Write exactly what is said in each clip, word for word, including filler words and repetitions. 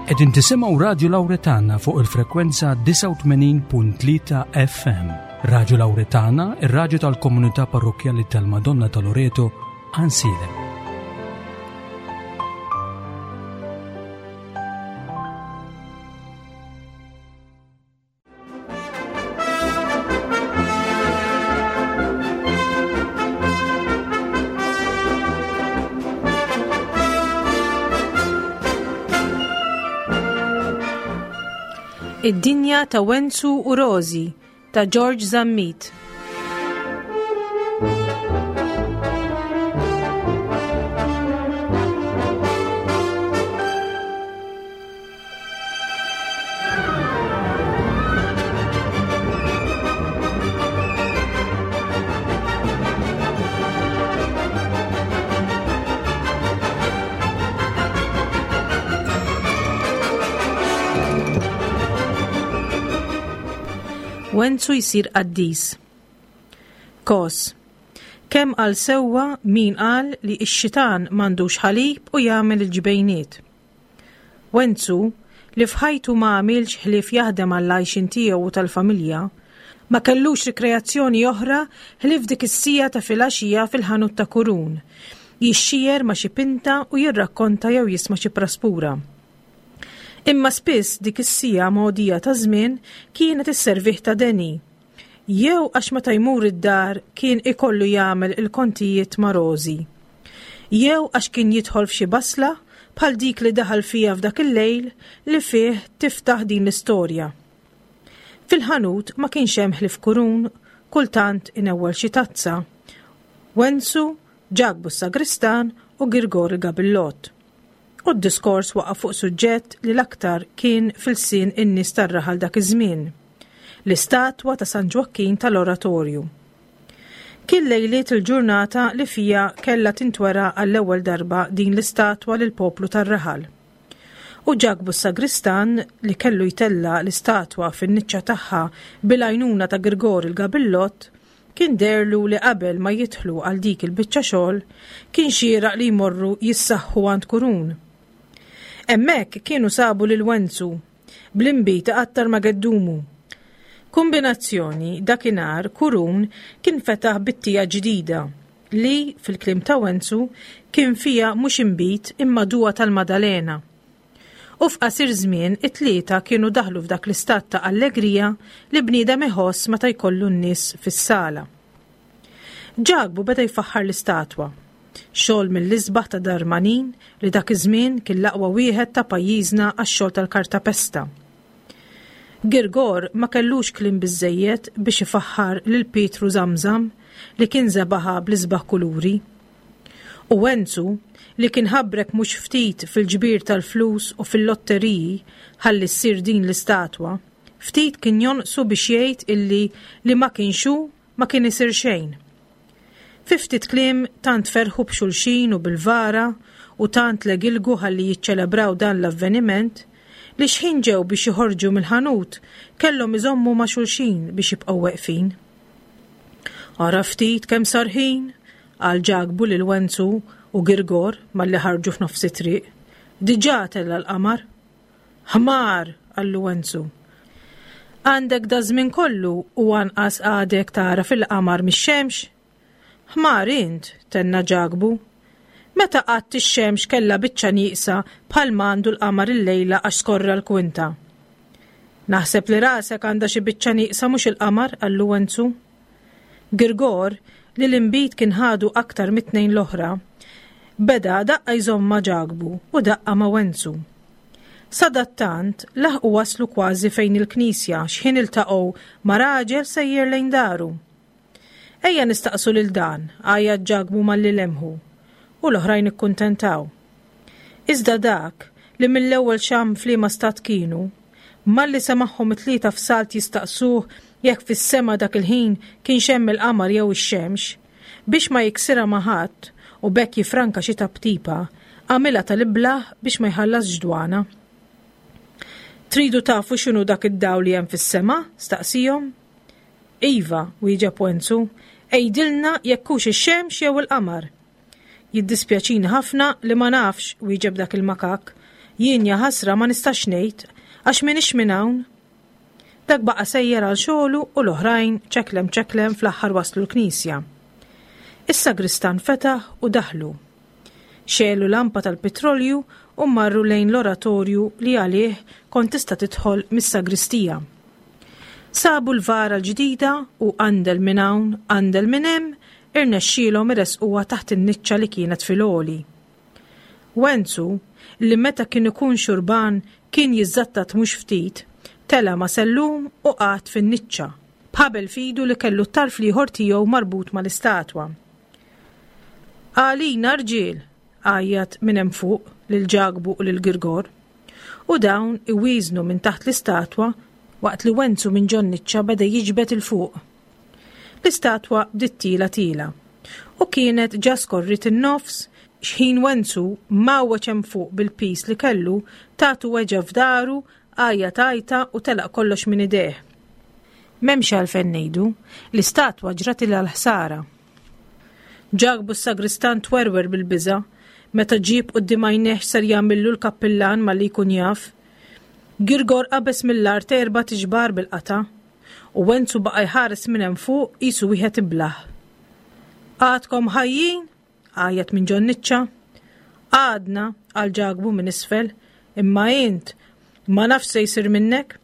Qegħdin tisimgħu Radju Lawretana fuq il-frekwenza disgħa u tmenin punt tlieta F M. Radju Lawretana, ir-radju tal-komunità parrokkjali tal-Madonna ta' Loreto, Għajnsielem. Id-dinja ta' Wenzu u Rożi ta' George Zammit. Wenzu jsir qaddis. Kos. Kemm qal sewwa min qal li x-xitan m'għandux ħalib u jagħmel il-ġbejniet. Wenzu, li f'ħajtu ma għamilx ħlief jaħdem għall-għajxin tiegħu u tal-familja, ma kellux rikreazzjoni oħra ħlief dik is-sija ta' filgħaxija fil-ħanut ta' Kurun, jixxier ma' xi pinta u jirrakkonta jew jisma' xi praspura. Imma spiss dik is-sija mogħdija ta' żmien kienet isservih ta' deni. Jew għax meta jmur id-dar kien ikollu jagħmel il-kontijiet ma' Rożi. Jew għax kien jidħol f'xi basla bħal dik li daħal fija f'dak il-lejl li fih tiftaħ din l-istorja. Fil-ħanut ma kienx hemm ħlief Kurun, kultant inewwel xi tazza. Wenzu, Ġakbu s-Sagristan u Girgor il-Gabillott. U d-diskors waqa' fuq suġġett li l-aktar kien fil-sin in-nies tar-raħal dak iż-żmien, l-istatwa ta' San Ġwakkin tal-Oratorju. Kien lejliet il-ġurnata li fija kellha tintwera għall-ewwel darba din l-istatwa lill-poplu tar-raħal. U Ġakbu s-Sagristan li kellu jtella l-istatwa fin-niċċa tagħha bil-għajnuna ta' Girgor il-Gabillott kien derlu li qabel ma jidħlu għal dik il-biċċa xogħol kien xieraq li jmorru jissaħħu għand Kurun. Hemmhekk kienu sabu lil Wenzu bl-inbid iqattar ma' geddumu. Kombinazzjoni dakinhar Kurun kien fetaħ bittija ġdida li, fil-kliem ta' Wenzu, kien fiha mhux inbid imma duwa tal-Madalena. U f'qasir żmien it-tlieta kienu daħlu f'dak l-istat ta' allegrija li bniedem iħoss meta jkollu n-nies fis-sala. Ġakbu beda jfaħħar l-istatwa. Xogħol mill-isbaħ ta' Darmanin li dak iż-żmien kien l-aqwa wieħed ta' pajjiżna għax-xogħol tal-kartapesta. Girgor ma kellux kliem biżżejjed biex ifaħħar lil Pietru Zamzam li kien żebaħha bl-isbaħ kuluri. U Wenzu, li kien ħabrek mhux ftit fil-ġbir tal-flus u fil-lotteriji ħalli ssir din l-istatwa, ftit kien jonqsu biex jgħid illi li ma kienx hu ma kien isir xejn. Fi ftit kliem tant ferħu b'xulxin u bil-vara u tant legilgu ħalli jiċċelebraw dan l-avveniment li xħin ġew biex joħorġu mill-ħanut kellhom iżommu ma' xulxin biex jibqgħu weqfin. Ara ftit kemm sar ħin, qal Ġakbu lil Wenzu u Girgor malli ħarġu f'nofs it-triq. Diġà tella' l-qamar. Ħmar, qallu Wenzu. Għandek da żmien kollu u anqas għadek tara fil-qamar mix-xemx? Ħmar int, tenna Ġakbu. Meta qatt ix-xemx kellha biċċa nieqsa bħal m'għandu l-qamar illejla għax skorra l-kwinta. Naħseb li rasek għandha xi biċċa nieqsa mhux il-qamar, qallu Wenzu. Girgor, li l-inbid kien ħadu aktar mit-tnejn l-oħra, beda daqqa jżomm ma' Ġakbu u daqqa ma' Wenzu. Sadattant laħqu waslu kważi fejn il-knisja x'ħin iltaqgħu ma' raġel sejjer lejn daru. Ejja nistaqsu lil dan, għajjat Ġakbu malli lemħu, u l-oħrajn ikkuntentaw. Iżda dak li mill-ewwel xam f'liema stat kienu, malli semagħhom it-tlieta f'salt jistaqsuh jekk fis-sema dak il-ħin kienx hemm il-qamar jew ix-xemx, biex ma jiksirha ma' ħadd u b'hekk jifranka xi taptipa, għamilha tal-iblah biex ma jħallasx dwana. Tridu tafu x'inhu dak id-dawl li hemm fis-sema? Staqsihom. Iva, wieġeb Wenzu, għidilna jekk hux ix-xemx jew il-qamar. Jiddispjaċini ħafna li ma nafx, wieġeb dak il-makak. Jien jaħasra ma nistax ngħid għax m'iniex minn hawn. Dak baqa' sejjer għal xogħlu u l-oħrajn ċeklem ċeklem fl-aħħar waslu l-knisja. Is-sagristan fetaħ u daħlu. Xegħlu lampa tal-petrolju u marru lejn l-oratorju li għalih kont tista' tidħol mis-sagristija. Sabu l-vara l-ġdida u għandel minn hawn, għandel minn hemm, irnexxielhom iressquha taħt in-niċċa li kienet fil-għoli. Wenzu, li meta kien ikun xurban kien jiżżattat mhux ftit, tela' ma' sellum u qagħad fin-niċċa, b'ħabel f'idu li kellu t-tarf l-ieħor tiegħu marbut mal-istatwa. Għalina rġiel, għajjat minn hemm fuq lil Ġakbu u lil Girgor. U dawn iwieżnu minn taħt l-istatwa waqt li Wenzu minn ġon-niċċa beda jiġbed 'il fuq. L-istatwa bdiet tila tila u kienet ġa skorrit in-nofs xħin Wenzu mgħawweġ hemm fuq bil-piż li kellu tatu weġgħa f'daru, għajjat għajta u telaq kollox minn idejh. M'hemmx għalfejn ngħidu, l-istatwa ġratilha l-ħsara. Ġakbu s-sagristan twerwer bil-biża' meta ġieb quddiem għajnejh x'ser jagħmillu l-kappillan malli jkun jaf. Girgor qabeż mill-art erba' tiġbar bil-qata' u Wenzu baqa' jħares minn hemm fuq qisu wieħed iblah. Għadkom ħajjin? Għajjat minn ġon-niċċa. Għadna, qal Ġakbu minn isfel, imma int ma nafx se jsir minnek.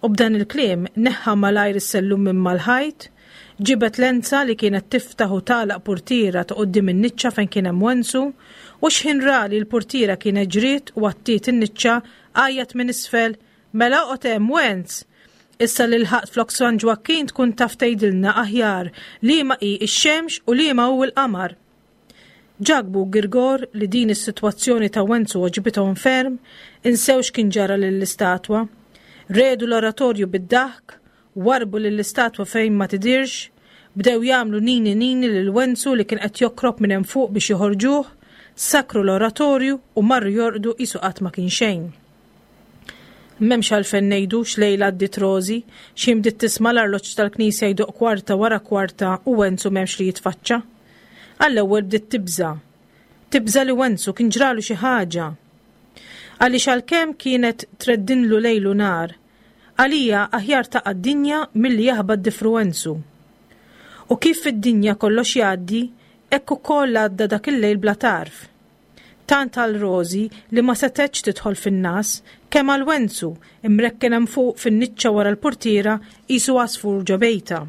U b'dan il-kliem neħħa malajr is-sellum minn mal-ħajt, ġibed lenza li kienet tiftaħ u tagħlaq purtiera ta' quddiem in-niċċa fejn kien hemm Wenzu, u x'ħin ra li l-purtiera kienet ġriet u għattiet in-niċċa, għajjat minn isfel, mela oqgħod hemm Wenz! Issa li lħaqt flok San Ġwakkin tkun taf tgħidilna aħjar liema hi x-xemx u liema hu l-qamar. Ġakbu u Girgor li din is-sitwazzjoni ta' Wenzu għoġbithom ferm, insew x'kien ġara lill-istatwa. Redu l-oratorju bid-daħk, warrbu lill-istatwa fejn ma tidhirx, bdew jagħmlu nini nini lil Wenzu li kien qed jokrob minn hemm fuq biex joħorġuh, sakkru l-oratorju u marru jorqdu qisu qatt ma kien xejn. M'hemmx għalfejn ngħidu x'lejla għaddiet Rożi, x'ħin bdiet tisma' l-arloġġ tal-knisja jdoqq kwarta wara kwarta u Wenzu m'hemmx li jitfaċċa. Għall-ewwel bdiet tibża'. Tibża' li Wenzu kien ġralu xi ħaġa. Għaliex għalkemm kienet treddinlu lejl u nhar, għalija aħjar taqa' d-dinja milli jaħbat difru Wenzu. U kif fid-dinja kollox jgħaddi, hekk ukoll għadda dak il-lejl bla tarf. Tant għal Rożi li ma setgħetx tidħol fin-nas, kemm għal Wenzu imrekken hemm fuq fin-niċċa wara l-purtiera qisu għasfur ġo bejta.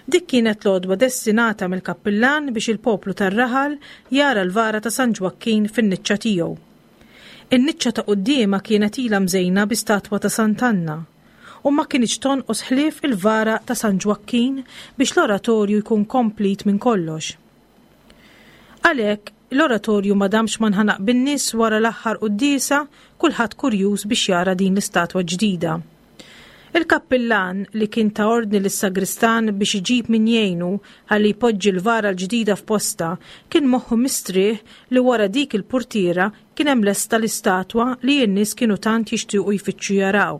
Dik kienet l-għodwa destinata mill-kappillan biex il-poplu tar-raħal jara l-vara ta' San Ġwakkin fin-niċċa tiegħu. In-niċċa ta' quddiemha kienet ilha mżejna bi statwa ta' Sant'Anna u ma kinitx tonqos ħlief il-vara ta' San Ġwakkin biex l-oratorju jkun komplit minn kollox. Għalhekk, l-oratorju ma damx ma nħanaq bin-nies wara l-aħħar quddiesa, kulħadd kurjuż biex jara din l-istatwa ġdida. Il-kappillan li kien ta' ordni lis-sagristan biex iġib min jgħinu ħalli jpoġġi l-vara l-ġdida f'posta kien moħħu mistrieħ li wara dik il-purtiera kien hemm lesta l-istatwa li n-nies kienu tant jixtiequ jfittxu jaraw.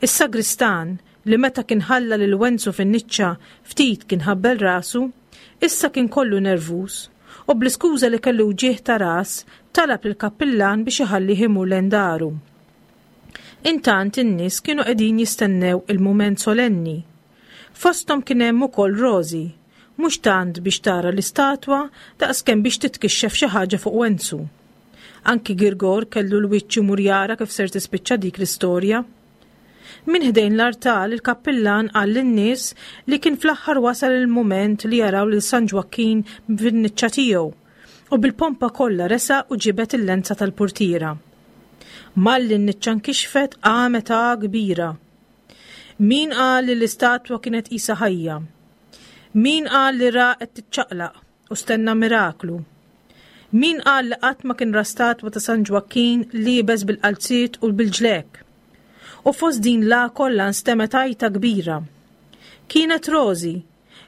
Is-sagristan li meta kien ħalla lil Wenzu fin-niċċa ftit kien ħabbel rasu, issa kien kollu nervuż u bl-iskuża li kellu wġigħ ta' ras talab lill-kappillan biex iħallih imur lejn daru. Intant in-nies kienu qegħdin jistennew il-mument solenni. Fosthom kien hemm ukoll Rożi, mhux tant biex tara l-istatwa daqskemm biex titkixxef xi ħaġa fuq Wenzu. Anki Girgor kellu l-wiċċ imur jara kif ser tispiċċa dik l-istorja. Minn ħdejn l-artal il-kappillan qal lin-nies li kien fl-aħħar wasal il-mument li jaraw lil San Ġwakkin fin-niċċa tiegħu u bil-pompa kollha resaq u ġibed il-lenza tal-purtiera. Malli n-niċċa nkixfet qamet għa kbira. Min qal li l-istatwa kienet qisha ħajja? Min qal li ra qed tiċċaqlaq u stenna miraklu? Min qal li qatt ma kien ra statwa ta' San Ġwakkin liebes bil-qalziet u bil-ġlek? U fost din la kollha nstemet għajta kbira. Kienet Rożi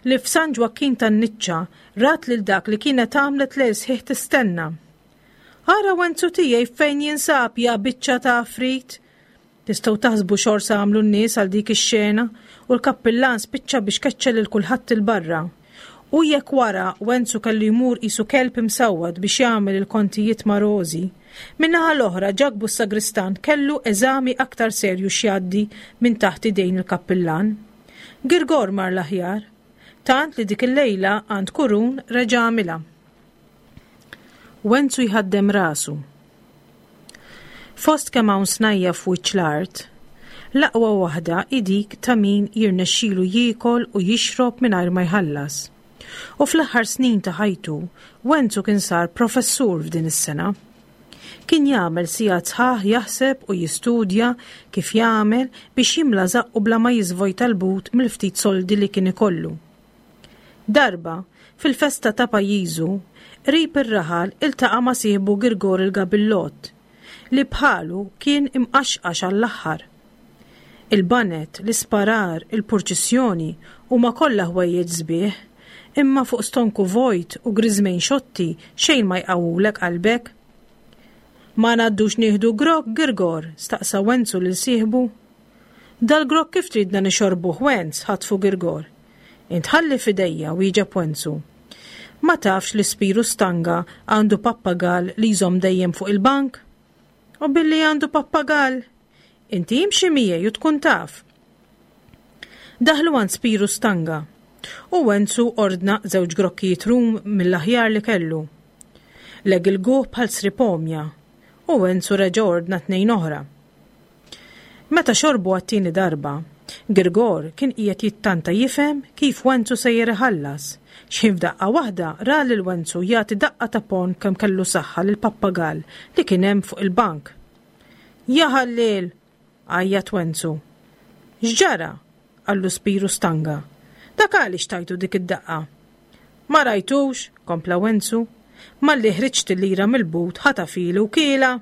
li f'San Ġwakkin tan-niċċa rat lil dak li kienet għamlet lejl sħiħ tistenna. Ara Wenzu tiegħi fejn jinsab ja biċċa ta' afrit. Tistgħu taħsbu xorsa għamlu n-nies għal dik ix-xena u l-kappillan spiċċa biex keċċa lil kulħadd il-barra. U jekk wara Wenzu kellu jmur qisu kelb imsawwat biex jagħmel il-kontijiet ma' Rożi, Min-naħa l-oħra Ġakbu s-sagristan kellu eżami aktar serju x'jgħaddi minn taħt idejn il-kappillan. Girgor mar l-aħjar, tant li dik il-lejla għand Kurun reġa' għamilha. Wenzu jħaddem rasu. Fost kemm hawn snajja f'wiċċ l-art, l-aqwa waħda hi dik ta' min jirnexxilu jiekol u jixrob mingħajr ma jħallas. U fl-aħħar snin ta' ħajtu, Wenzu kien sar professur f'din is-sena. Kien jagħmel sigħat sħaħ jaħseb u jistudja kif jagħmel biex jimla żaqqu bla ma jiżvojta l-but mill-ftit soldi li kien ikollu. Darba, fil-festa ta' pajjiżu, qrib ir-raħal iltaqa' ma' sieħbu Girgor il-Gabillott, li bħalu kien imqaxqax għall-aħħar. Il-banet, l-isparar, il-purċissjoni huma kollha ħwejjeġ sbieħ, imma fuq stonku vojt u griżmejn xotti xejn ma jqawwulek qalbek. Ma ngħaddux nieħdu grokk, Girgor? staqsa Wenzu lil sieħbu. Dal-grokk kif tridna nixorbuh, Wenz? ħatfu Girgor. Int ħalli f'idejja, wieġeb Wenzu. Ma tafx li Spiru Stanga għandu pappagall li jżomm dejjem fuq il-bank? U billi għandu pappagall, inti imxi miegħi u tkun taf. Daħlu għand Spiru Stanga u Wenzu ordna żewġ grokkijiet rum mill-aħjar li kellu. Legilguh bħal sripomja u Wenzu reġa' ordna tnejn oħra. Meta xorbu għat-tieni darba, Girgor kien qiegħed jittanta jifhem kif Wenzu sejjer iħallas. X'ħin f'daqqa waħda ra lil Wenzu jagħti daqqa ta' pon kemm kellu saħħa lil pappagall li kien hemm fuq il-bank. Ja ħalliel! għajjat Wenzu. X'ġara? qallu Spiru Stanga. Dak għaliex tajtu dik id-daqqa? Ma rajtux, kompla Wenzu, malli ħriġt il-lira mill-but ħatafilu u kiela.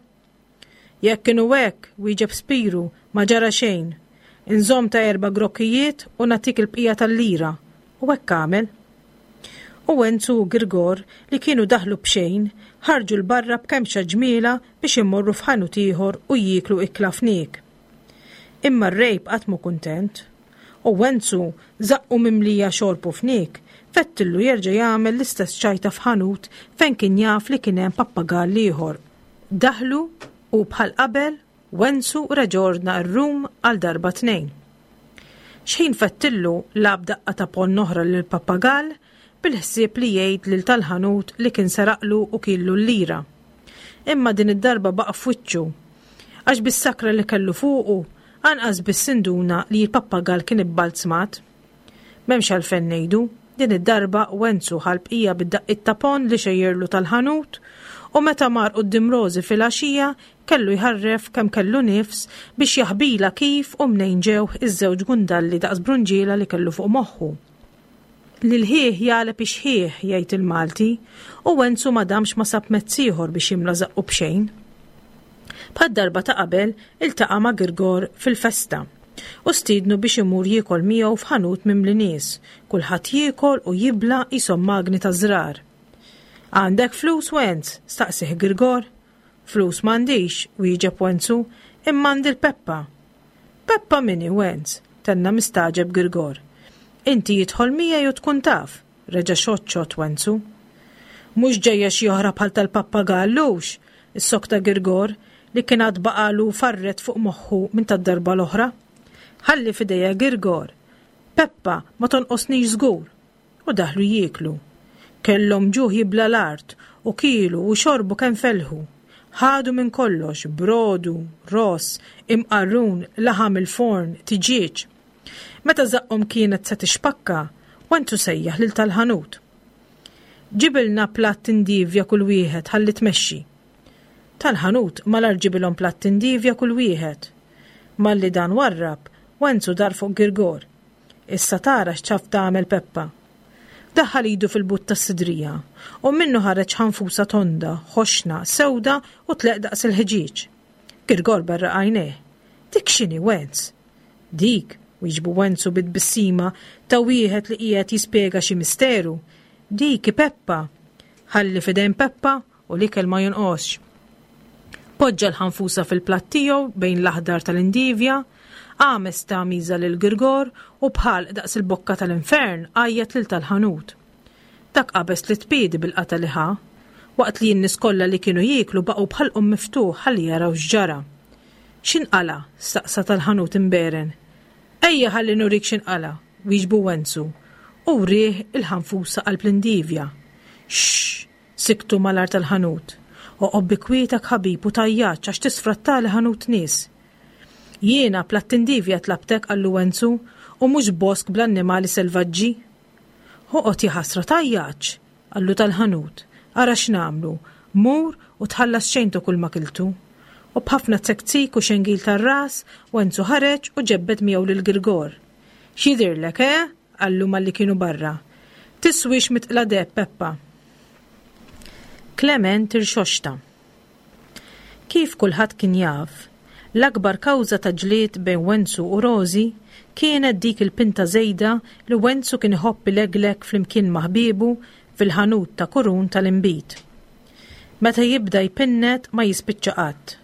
Jekk kienu hekk, wieġeb Spiru, ma ġara xejn. Inżomm ta' erba' grokkijiet u nagħtik il-bqija tal-lira. U hekk għamel. U Wenzu u Girgor li kienu daħlu b'xejn, ħarġu 'l barra b'kemxa ġmiela biex imorru f'ħanut ieħor u jieklu ikla fniek. Imma r-rejb qatt mhu kuntent. U Wenzu żaqqu mimlija xorb u fniek, fettillu jerġa' jagħmel l-istess ċajta f'ħanut fejn kien jaf li kien hemm pappagall ieħor. Daħlu u bħal qabel Wenzu reġa' ordna r-rum għal darba tnejn. X'ħin fettillu lab daqqa ta' ponn oħra lil pappagall bil-ħsieb li jgħid lil tal-ħanut li kien seraqlu u killu l-lira. Imma din id-darba baqa' f'wiċċu, għax bis-sakra li kellu fuqu anqas biss induna li l-pappagall kien ibbalzmat. M'hemmx għalfejn ngħidu, din id-darba Wenzu ħa l-bqija bid-daqqiet ta' ponn li xejjerlu tal-ħanut u meta mar quddiem Rożi filgħaxija kellu jħarref kemm kellu nifs biex jaħbilha kif u mnejn ġew iż-żewġ gundalli daqs brunġiela li kellu fuq moħħu. Lil ħieħ jagħleb ix-xħieħ, jgħid il-Malti, u Wenzu ma damx ma sab mezz ieħor biex jimla żaqqu b'xejn. Bħad-darba ta' qabel iltaqa' ma' Girgor fil-festa u stiednu biex imur jiekol miegħu f'ħanut mimli nies, kulħadd jiekol u jibla' qishom magni ta' żrar. Għandek flus, Wenz? staqsih Girgor. Flus m'għandix, wieġeb Wenzu, imma għandi l-Peppa. Peppa min hi, Wenz? tenna mistagħġeb Girgor. Inti idħol miegħi u tkun taf, reġa' xott xott Wenzu. Mhux ġejja xi oħra bħal tal-pappagall hux, issokta Girgor li kien għad baqalu farret fuq moħħu minn tad-darba l-oħra. Ħalli f'idejja Girgor. Peppa ma tonqosnix żgur. U daħlu jieklu. Kellhom ġuħ jibla l-art u kielu u xorbu kemm felħu. Ħadu minn kollox, brodu, ross, imqarrun, laħam il-forn, tiġieġ. Meta żaqqhom kienet se tixpakka, Wenzu sejjaħ lil tal-ħanut. Ġibilna platt indivja kull wieħed ħalli tmexxi. Tal-ħanut malar ġibilhom platt indivja kull wieħed. Malli dan warrab, Wenzu dar fuq Girgor. Issa tara x'taf tagħmel Peppa. Daħħal idu fil-but tas-sidrija u minnu ħareġ ħanfusa tonda, ħoxna, sewda u tleq daqs il-ħġieġ. Girgor berraq għajnejh. Dik x'inhi, Wenz? Dik, wieġbu Wenzu bit-tbissima ta' wieħed li qiegħed jispjega xi misteru. Dik hi Peppa. Ħalli f'idejn Peppa u l-ikel ma jonqosx. Poġġa l-ħanfusa fil-platt tiegħu bejn l-aħdar tal-indivja, għames ta' miża lil Girgor u bħal daqs il-bokka tal-infern għajjat lil tal-ħanut. Dak qabeż li tpiedi bil-qata li ħa. Waqt li n-nies kollha li kienu jieklu baqgħu b'ħalqhom miftuħ ħalli jaraw x'ġara. X'inqala? staqsa tal-ħanut imberen. Ejja ħalli nurik x'inqala, wieġbu Wenzu, u wrieh il-ħanfusa qalb l-indivja. Xxx! Siktu malar tal-ħanut. Oqgħod bi kwietek ħabib u tgħajjatx għax tisfrattali ħanut nies. Jiena platt indivja tlabtek, qallu Wenzu, u mhux bosk bl-annimali selvaġġi. Oqgħod jaħasra tgħajjatx, qallu tal-ħanut. Ara x'nagħmlu, mur u tħallas xejn ta' kull ma kiltu. U b'ħafna tsektsik u xengil tar-ras, Wenzu ħareġ u ġebbed miegħu lil Girgor. X'jidhirlek, eh? qallu malli kienu barra. Tiswix mitqla deheb, Peppa. Klement irxoxta. Kif kulħadd kien jaf, l-akbar kawża ta' ġlied bejn Wenzu u Rożi kienet dik il-pinta żejda li Wenzu kien iħobb ileglek flimkien ma' ħbiebu fil-ħanut ta' Kurun tal-inbid. Meta jibda jpinnet ma jispiċċa qatt.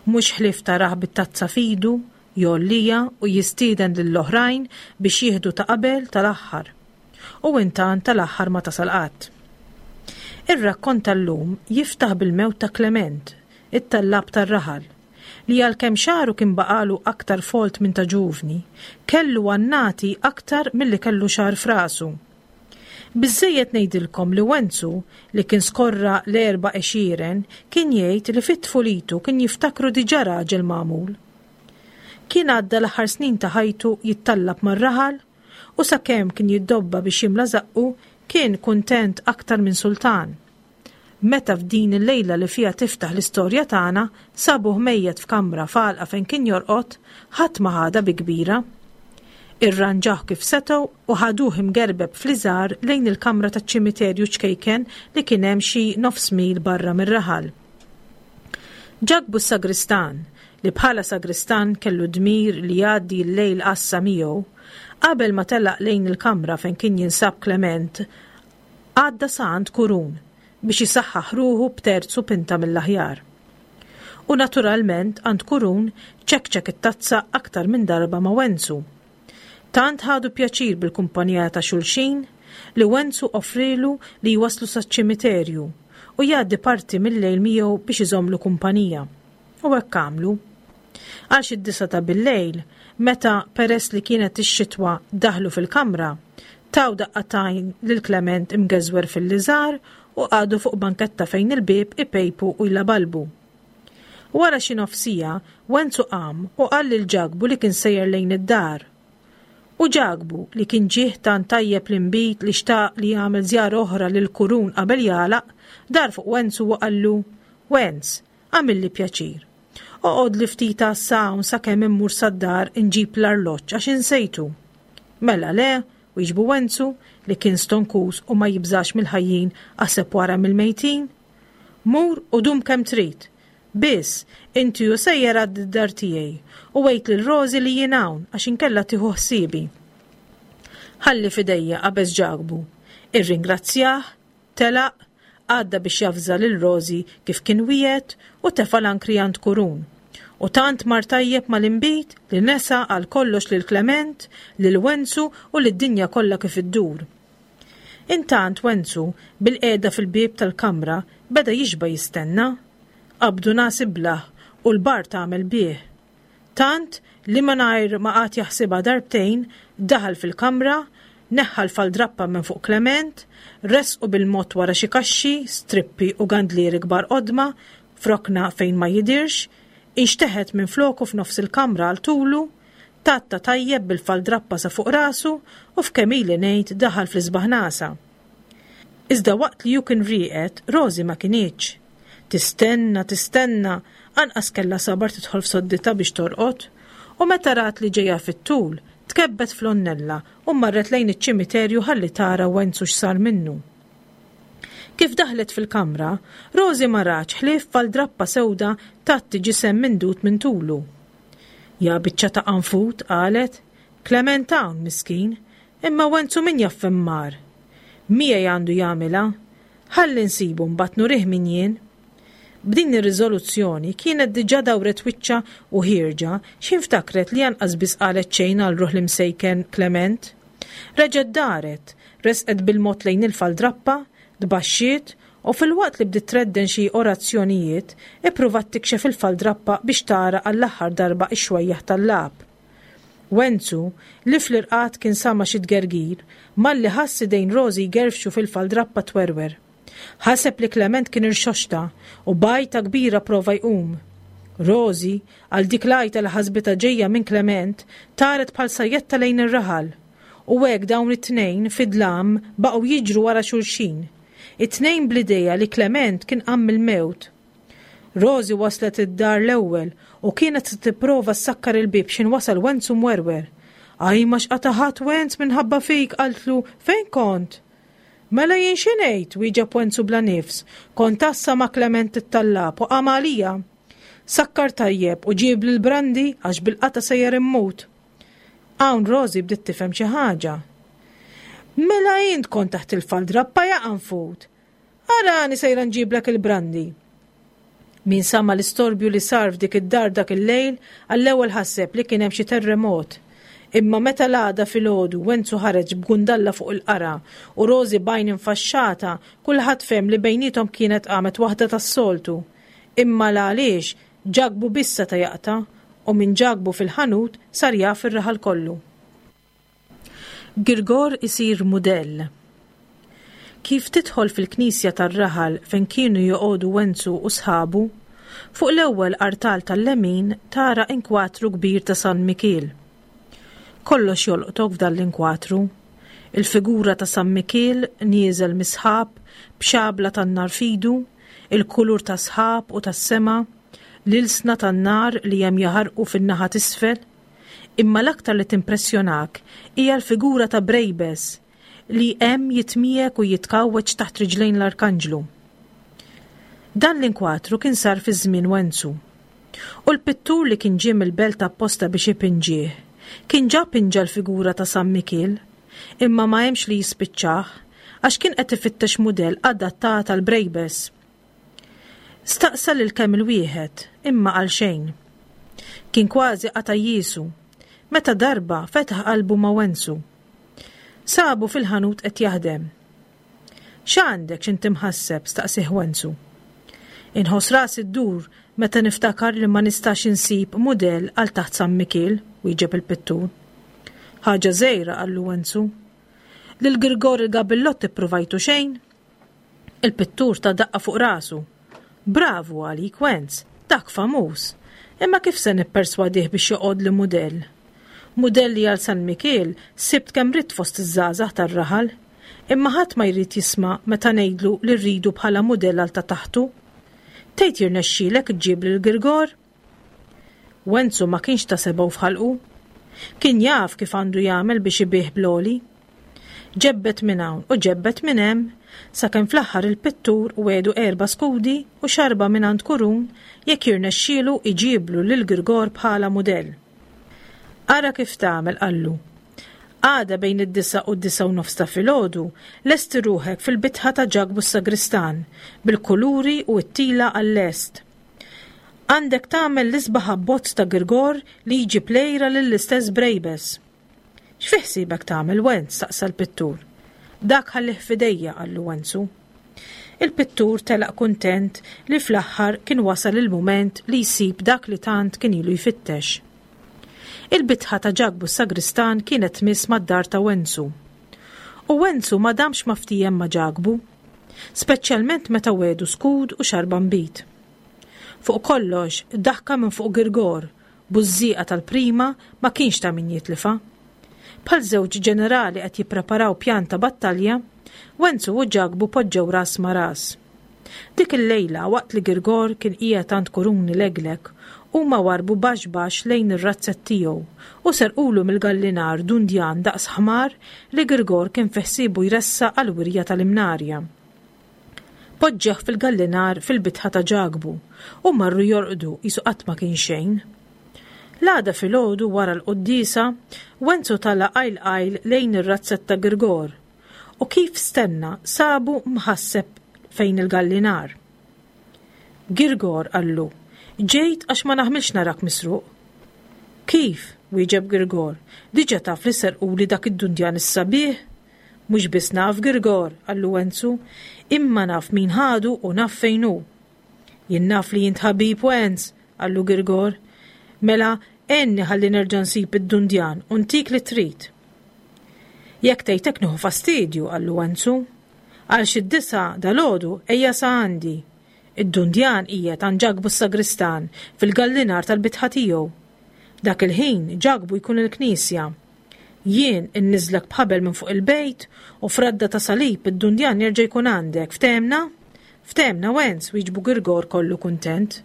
Mhux ħlief tarah bit-tazza f'idu, jgħollija u jistieden lill-oħrajn biex jieħdu ta' qabel tal-aħħar. U intant tal-aħħar ma tasal qatt. Ir-rakkont tal-lum jiftaħ bil-mewt ta' Klement, it-tallab tar-raħal, li għalkemm xagħru kien baqalu aktar folt minn ta' ġuvni, kellu annati aktar milli kellu xagħar f'rasu. Biżżejjed ngħidilkom li Wenzu, li kien skorra l-erba' għexieren, kien jgħid li fit-tfulitu kien jiftakru diġà raġel magħmul. Kien għadda l-aħħar snin ta' ħajtu jittallab mar-raħal u sakemm kien jiddobba biex jimla żaqqu kien kuntent aktar minn sultan. Meta f'din il-lejla li fiha tiftaħ l-istorja tagħna sabuh mejjet f'kamra f'għalqa fejn kien jorqod, ħadd ma ħadha bi kbira. Irranġawh kif setgħu u ħaduh imgerbeb fl-iżar lejn il-kamra taċ-ċimiterju ċkejken li kien hemm xi nofs mil barra mir-raħal. Ġakbu s-sagristan, li bħala sagristan kellu dmir li jgħaddi l-lejl għassa miegħu, qabel ma telaq lejn il-kamra fejn kien jinsab Klement, għadda sa għand Kurun biex isaħħaħ ruħu b'terzu pinta mill-aħjar. U naturalment għand Kurun ċekċek it-tazza aktar minn darba ma' Wenzu. Tant ħadu pjaċir bil-kumpanija ta' xulxin li Wenzu offrilu li jwaslu saċ-ċimiterju u jgħaddi parti mill-lejl miegħu biex iżommlu kumpanija. U hekk għamlu. Għal xi d-disgħa ta' bil-lejl, meta peress li kienet ix-xitwa daħlu fil-kamra, taw daqqa t'għajn lil Klement imgeżwer fil-liżar u qagħdu fuq banketta fejn il-bieb ipejpu u jlabalbu. Wara xi nofsija, Wenzu qam u qal lil Ġakbu li kien sejjer lejn id-dar. U Ġakbu, li kien ġieħ tant tajjeb l-inbid li xtaq li jagħmel żjara oħra lil Kurun qabel jagħlaq, dar fuq Wenzu u qallu, Wenz, għamilli pjaċir. Oqgħod li ftit għassa hawn sakemm immur sad-dar inġib l-arloġġ għax insejtu. Mela le, wieġbu Wenzu, li kien stonkus u ma jibżax mill-ħajjin aħseb wara mill-mejtin. Mur u dum kemm trid. Biss, inti u sejjer għad dar tiegħi u għid lil Rożi li jien hawn għax inkella tieħu ħsiebi. Ħalli f'idejja qabeż Ġakbu. Irringrazzjah, telaq, għadda biex javża lil Rożi kif kien wiegħed u tefa' l-ankri għand Kurun. U tant mar tajjeb mal-inbid li nesa għal kollox lil Klement, lil Wenzu u lid-dinja kollha kif iddur. Intant Wenzu, bil-qiegħda fil-bieb tal-kamra, beda jixba' jistenna. Qabdu nas iblah u l-bar tagħmel bih. Tant li mingħajr ma qagħad jaħsibha darbtejn, daħal fil-kamra, neħħa l-faldrappa minn fuq Klement, resqu bil-mod wara xi kaxxi, strippi u gandlieri kbar qodma, f'rokna fejn ma jidhirx, inxteħet minn floku f'nofs il-kamra għal tulu, tatta tajjeb bil-faldrappa sa fuq rasu u f'kemm ili ngħid daħal fl-isbaħ nasa. Iżda waqt li hu kien rieqed, Rożi ma kinitx. Tistenna, tistenna, anqas kellha sabar tidħol f'sodditha biex torqod, u meta rat li ġejja fit-tul, tkebbet fl-onnella u marret lejn iċ-ċimiterju ħalli tara Wenzu x'sar minnu. Kif daħlet fil-kamra, Rożi ma ratx ħlief faldrappa sewda tgħatti ġisem mindud minn tulu. Ja biċċa ta' qanfut, qalet, Klement hawn, miskin, imma Wenzu min jaf fejn mar. Miegħi għandu jagħmilha, ħalli nsibu mbagħad nurih min jien. B'din ir-riżoluzzjoni kienet diġà dawret wiċċha u ħierġa x'ħin ftakret li anqas biss qalet xejn għal ruħ l-imsejken Klement. Reġgħet daret, resqet bil-mod lejn il-faldrappa, tbaxxiet U filwaqt li bdiet tredden xi orazzjonijiet, ippruvat tikxef il-faldrappa biex tara għall-aħħar darba x-xwejjaħ tal-lagħab. Wenzu, li fl-irqad kien sama xi tgergir, malli ħass idejn Rosi jgerfxu fil-faldrappa twerwer. Ħaseb li Klement kien irxoxta u b'għajta kbira prova jqum. Rosi, għal dik l-għajta li ħasbitha ġejja minn Klement, taret bħal sajjetta lejn ir-raħal. U hekk dawn it-tnejn fid-dlam baqgħu jiġru wara xulxin. It-tnejn bl-idea li Klement kien qam mill-mewt. Rosi waslet id-dar l-ewwel u kienet se tipprova ssakkar il-bieb x'ħin wasal Wenzu mwerwer. Ajma x'qata' ħadt Wenz minħabba fik, qaltlu, fejn kont? Mela jien xi ngħid, wieġeb Wenzu bla nifs, kont għassa ma' Klement it-tallab u qam għalija. Sakkar tajjeb u ġibli l-brandy għax bil-qata sejjer immut. Hawn Rosi bdiet tifhem xi ħaġa. Mela int kont taħt il-faldrappa ja qanfud. Arani sejra nġiblek il-brandy. Min sama l-istorbju li sar f'dik id-dar dak il-lejl, għall-ewwel ħaseb li kien hemm xi terremot. Imma meta l-għada filgħodu Wenzu ħareġ b'gundalla fuq il-qara u Rosi b'għajn infaxxata, kulħadd fehem li bejniethom kienet qamet waħda tas-soltu. Imma l-għaliex Ġakbu biss seta' jaqta' u minn Ġakbu fil-ħanut sar jaf ir-raħal kollu. Girgor isir mudell. Kif tidħol fil-knisja tar-raħal fejn kienu joqogħdu Wenzu u sħabu, fuq l-ewwel artal tal-lemin tara inkwatru kbir ta' San Mikiel. Kollox jolqtok f'dan l-inkwatru. Il-figura ta' San Mikiel nieżel mis-sħab b'xabla tan-nar f'idu, il-kulur ta' sħab u tas-sema, l-ilsna tan-nar li hemm jaħarqu fin-naħa t'isfel. Imma l-aktar li timpressjonak hija l-figura ta' Brejbes li hemm jitmiegħek u jitkawweġ taħt riġlejn l-Arkanġlu. Dan l-inkwatru kien sar fi żmien Wenzu. U l-pittur li kien ġie mill-belt apposta biex ipinġih, kien ġa pinġa l-figura ta' San Mikiel, imma ma hemmx li jispiċċah għax kien qed ifittex mudell adattat għal Brejbes. Staqsa lil kemm il-wieħed, imma għal xejn. Kien kważi qata' jiesu, meta darba fetaħ qalbu ma' Wenzu. Sabu fil-ħanut qed jaħdem. X'għandek x'inti mħasseb, staqsih Wenzu. Inħoss rasi ddur meta niftakar li ma nistax insib mudell għal taħt San Mikiel, wieġeb il-pittur. Ħaġa żgħira, qallu Wenzu. Lil Girgor il-Gabillott ippruvajtu xejn? Il-pittur ta daqqa fuq rasu. Bravu għalik Wenz, dak famuż. Imma kif se nipperswadih biex joqgħod li mudell? Mudelli għal San Mikiel sibt kemm ridt fost iż-żgħażagħ tar-raħal, imma ħadd ma jrid jisma' meta ngħidlu li rridu bħala mudell għal ta' taħtu. Tgħid jirnexxielek iġġib lil Girgor? Wenzu ma kienx ta' sebgħu f'ħalqu. Kien jaf kif għandu jagħmel biex ibih bl-għoli. Ġebbet minn hawn u ġebbet minn hemm, sakemm fl-aħħar il-pittur wegħdu erba' skudi u xarba minn għand Kurun jekk jirnexxielu iġiblu lil Girgor bħala mudell. Ara kif tagħmel, qallu. Għada bejn id-disa u d-disa u nofs ta' filgħodu, lesti ruħek fil-bitħa ta' Ġakbu s-Sagristan bil-kuluri u t-tila għall-lest. Għandek tagħmel l-isbaħ abbozz ta' Girgor li jġib lejra lill-istess Brejbes. X'fi ħsiebek tagħmel, Wenz? Staqsa l-pittur. Dak ħallih f'idejja, qallu Wenzu. Il-pittur telaq kuntent li fl-aħħar kien wasal il-mument li jsib dak li tant kien ilu jfittex. Il-bitħa ta' Ġakbu s-Sagristan kienet tmiss mad-dar ta' Wenzu. U Wenzu ma damx ma ftiehem ma' Ġakbu, speċjalment meta wegħdu skud u xarba nbid. Fuq kollox, daħka minn fuq Girgor, bużżieqa tal-prima ma kienx ta' min jitlifa. Bħal żewġ ġenerali qed jippreparaw pjan ta' battalja, Wenzu u Ġakbu poġġew ras ma' ras. Dik il-lejla waqt li Girgor kien qiegħed għand Kuruni Leglek, huma warbu baxx baxx lejn ir-razzett tiegħu u serqulu mill-gallinar dundjan daqs ħmar li Girgor kien fi ħsiebu jressaq għall-wirja tal-Imnarja. Poġġeh fil-gallinar fil-bitħa ta' Ġakbu u marru jorqdu qisu qatt ma kien xejn. L-għada filgħodu wara l-quddiesa, Wenzu tala' qajl qajl lejn ir-razzett ta' Girgor u kif stenna sabu mħasseb fejn il-gallinar. Girgor, qallu, ġejt għax ma naħmilx narak misruq. Kif? Wieġeb Girgor, diġa taf li serquli dak id-dundjan is-sabiħ? Mhux biss naf Girgor, qallu Wenzu, imma naf min ħadu u naf fejn hu. Jien naf li int ħabib Wenz, qallu Girgor. Mela, għenni ħalli nerġa' nsib id-dundjan u ntik li trid. Jekk tgħid hekk nieħu fastidju, qallu Wenzu. Għal xi d-disgħa dalgħodu ejja sa għandi. Id-dundjan qiegħed għand Ġakbu s-sagristan fil-gallinar tal-bitħa tiegħu. Dak il-ħin Ġakbu jkun il-knisja. Jien inniżlek b'ħabel minn fuq il-bejt u f'radda ta' salib id-dundjan jerġa' jkun għandek. Ftehemna? Ftehemna, Wenz, wieġbu Girgor kollu kuntent.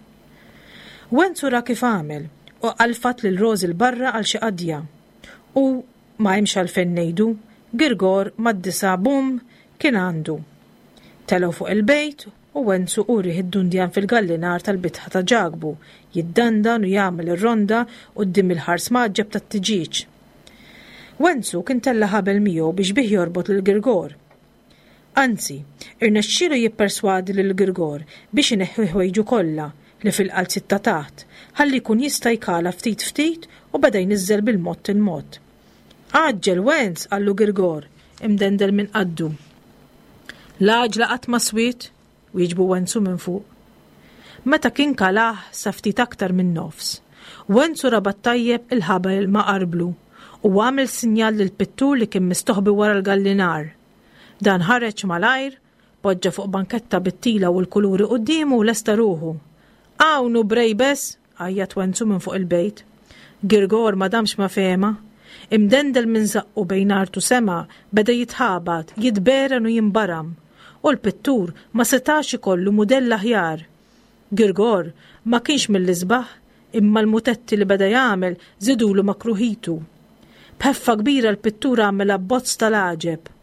Wenzu ra kif għamel u qalfat lil Rożi 'l barra għal xi qadja. U ma hemmx għalfejn ngħidu, Girgor mad-disgħa bum kien għandu. Telgħu fuq il-bejt u Wenzu urieh id-dundjan fil-gallinar tal-bitħa ta' Ġakbu, jiddandan u jagħmel ir-ronda quddiem il-ħars mgħaġġeb tat-tiġieġ. Wenzu kien tella' ħabel miegħu biex bih jorbot lil Girgor. Anzi, irnexxielu jipperswadi lil Girgor biex ineħħi ħwejġu kollha li fil-qalziet ta' taħt, ħalli jkun jista' jkala ftit ftit u beda jniżżel bil-mod il-mod. Għaġġel Wenz, qallu Girgor, imdendel minn qaddu. L-għaġla qatt ma swiet, wieġbu Wenzu minn fuq. Meta kien kalah sa ftit aktar minn nofs, Wenzu rabat tajjeb il-ħabel ma' qarblu u għamel sinjal lil pittur li kien mistoħbi wara l-gallinar. Dan ħareġ malajr, poġġa fuq banketta bit-tila u l-kuluri quddiemu u lesta ruħu. Hawn hu brejbes, għajjat Wenzu minn fuq il-bejt. Girgor ma damx ma fehma. Imdendel minn żaqqu bejn art u sema, beda jitħabat, jitberen u jimbaram. U l-pittur ma setax ikollu mudell aħjar. Girgor ma kienx mill-isbaħ, imma l-mutetti li beda jagħmel żidulu ma' kruhitu. B'ħeffa kbira l-pittur għamel abbozz tal-għaġeb.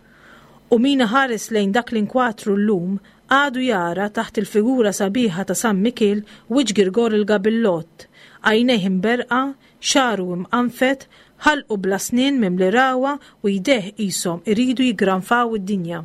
U min iħares lejn dak l-inkwatru llum għadu jara taħt il-figura sabiħa ta' San Mikiel wiċċ Girgor il-Gabillott, għajnejh imberqa, xagħru imqanfed, ħalqu bla snien mimli ragħwa u jdejh qishom iridu jiggranfaw id-dinja.